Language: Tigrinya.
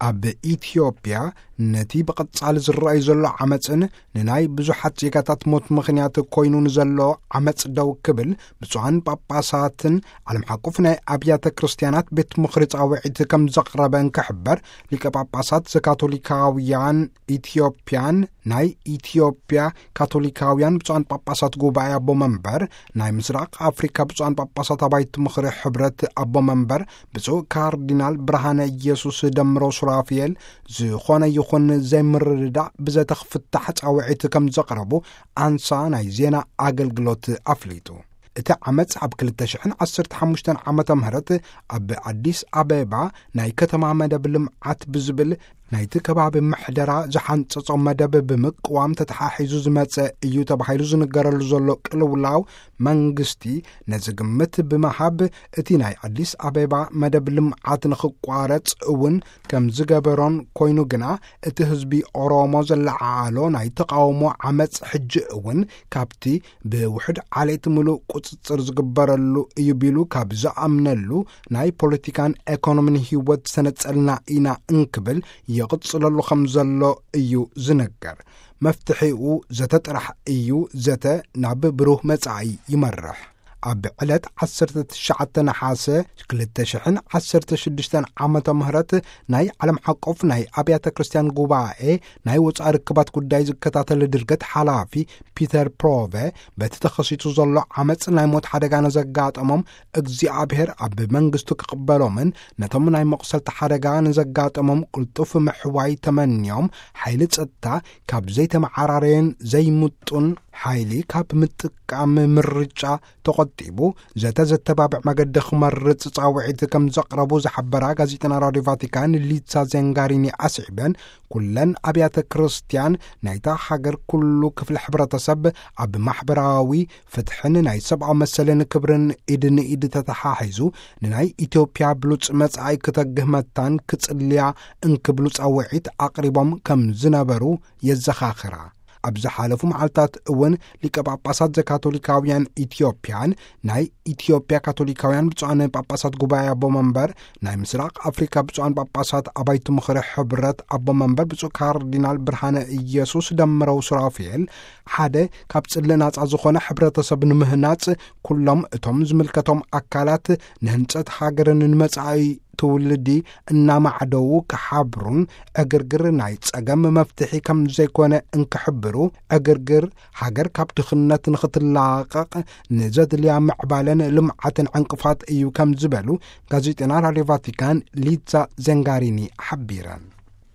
ኣብ ኢትዮጵያ ነቲ ብቐጻሊ ዝረኣይ ዘሎ ዓመጽን ንናይ ብዙሓት ዜጋታት ሞት ምኽንያት ኮይኑ ንዘሎ ዓመጽ ደው ክብል፣ ብፁዓን ጳጳሳትን ዓለም ሓቁፍ ናይ ኣብያተ ክርስቲያናት ቤት ምኽሪ ጻውዒት ከም ዘቕረበ እንክሕበር፣ ሊቀ ጳጳሳት ዘካቶሊካውያን ኢትዮጵያን ናይ ኢትዮጵያ ካቶሊካውያን ብፁዓን ጳጳሳት ጉባኤ ኣቦ መንበር፣ ናይ ምስራቕ ኣፍሪካ ብፁዓን ጳጳሳት ኣባይቲ ምኽሪ ሕብረት ኣቦ መንበር ብፁዕ ካርዲናል ብርሃነ ኢየሱስ ደምሮ ሱራፊኤል፣ ዝኾነ ይኹን ዘይምርድዳእ ብዘተኽፍታሕ ጻውዒት ከም ዘቕረቡ ኣንሳ ናይ ዜና ኣገልግሎት ኣፍሊጡ። እቲ ዓመጽ ኣብ ክልተ ሽሕን ዓሰርተ ሓሙሽተን ዓመተ ምህረት ኣብ ኣዲስ ኣበባ ናይ ከተማ መደብ ልምዓት ብዝብል ናይቲ ከባቢ ምሕደራ ዝሓንጸጾ መደብ ብምቅዋም ተተሓሒዙ ዝመጸ እዩ ተባሂሉ ዝንገረሉ ዘሎ ቅልውላው፣ መንግስቲ ነዚ ግምት ብምሃብ እቲ ናይ ኣዲስ ኣበባ መደብ ልምዓት ንኽቋረጽ እውን ከም ዝገበሮን ኮይኑ ግና እቲ ህዝቢ ኦሮሞ ዘለዓዓሎ ናይ ተቃውሞ ዓመጽ ሕጂ እውን ካብቲ ብውሕድ ዓሌት ምሉእ ቁጽጽር ዝግበረሉ እዩ ቢሉ ካብ ዝኣምነሉ ናይ ፖለቲካን ኤኮኖሚን ህይወት ዝተነጸልና ኢና እንክብል ይቕጽለሉ ከም ዘሎ እዩ ዝነገር። መፍትሒኡ ዘተ ጥራሕ እዩ፣ ዘተ ናብ ብሩህ መጻኢ ይመርሕ። ኣብ ዕለት ዓሰርተ ትሽዓተ ነሓሰ ክልተ ሽሕን ዓሰርተ ሽዱሽተን ዓመተ ምህረት ናይ ዓለም ሓቆፍ ናይ ኣብያተ ክርስቲያን ጉባኤ ናይ ወጻኢ ርክባት ጉዳይ ዝከታተል ድርገት ሓላፊ ፒተር ፕሮቨ፣ በቲ ተኸሲቱ ዘሎ ዓመጽ ናይ ሞት ሓደጋ ንዘጋጠሞም እግዚኣብሔር ኣብ መንግስቱ ክቕበሎምን ነቶም ናይ መቑሰልቲ ሓደጋ ንዘጋጠሞም ቅልጡፍ ምሕዋይ ተመንዮም፣ ሓይሊ ጸጥታ ካብ ዘይተመዓራረየን ዘይምጡን ሓይሊ ካብ ምጥቃም ምርጫ ተቖጢቡ፣ ዘተ ዘተባብዕ መገዲ ክመርጽ ጻውዒት ከም ዘቕረቡ ዝሓበራ ጋዜጠና ራድዮ ቫቲካን ሊሳ ዜንጋሪኒ ኣስዒበን፣ ኩለን ኣብያተ ክርስቲያን ናይታ ሃገር ኩሉ ክፍሊ ሕብረተሰብ ኣብ ማሕበራዊ ፍትሕን ናይ ሰብኣዊ መሰልን ክብርን ኢድ ንኢድ ተተሓሒዙ ንናይ ኢትዮጵያ ብሉጽ መጻኢ ክተግህ መታን ክጽልያ እንክብሉ ጻውዒት ኣቕሪቦም ከም ዝነበሩ የዘኻኽራ። ኣብ ዝሓለፉ መዓልታት እውን ሊቀ ጳጳሳት ዘካቶሊካውያን ኢትዮጵያን ናይ ኢትዮጵያ ካቶሊካውያን ብፁዓን ጳጳሳት ጉባኤ ኣቦ መንበር ናይ ምስራቕ ኣፍሪካ ብፁዓን ጳጳሳት ኣባይቲ ምኽሪ ሕብረት ኣቦ መንበር ብፁዕ ካርዲናል ብርሃነ ኢየሱስ ደምረው ሱራፊኤል፣ ሓደ ካብ ጽልእ ናጻ ዝኾነ ሕብረተሰብ ንምህናጽ ኩሎም እቶም ዝምልከቶም ኣካላት ንህንጸት ሃገርን ንመጻኢ ትውልዲ እናማዕደዉ ክሓብሩን ዕግርግር ናይ ጸገም መፍትሒ ከም ዘይኮነ እንክሕብሩ፣ ዕግርግር ሃገር ካብ ድኽነት ንኽትላቐቕ ንዘድልያ ምዕባለን ልምዓትን ዕንቅፋት እዩ ከም ዝበሉ ጋዜጠና ራድዮ ቫቲካን ሊዛ ዘንጋሪኒ ሓቢረን።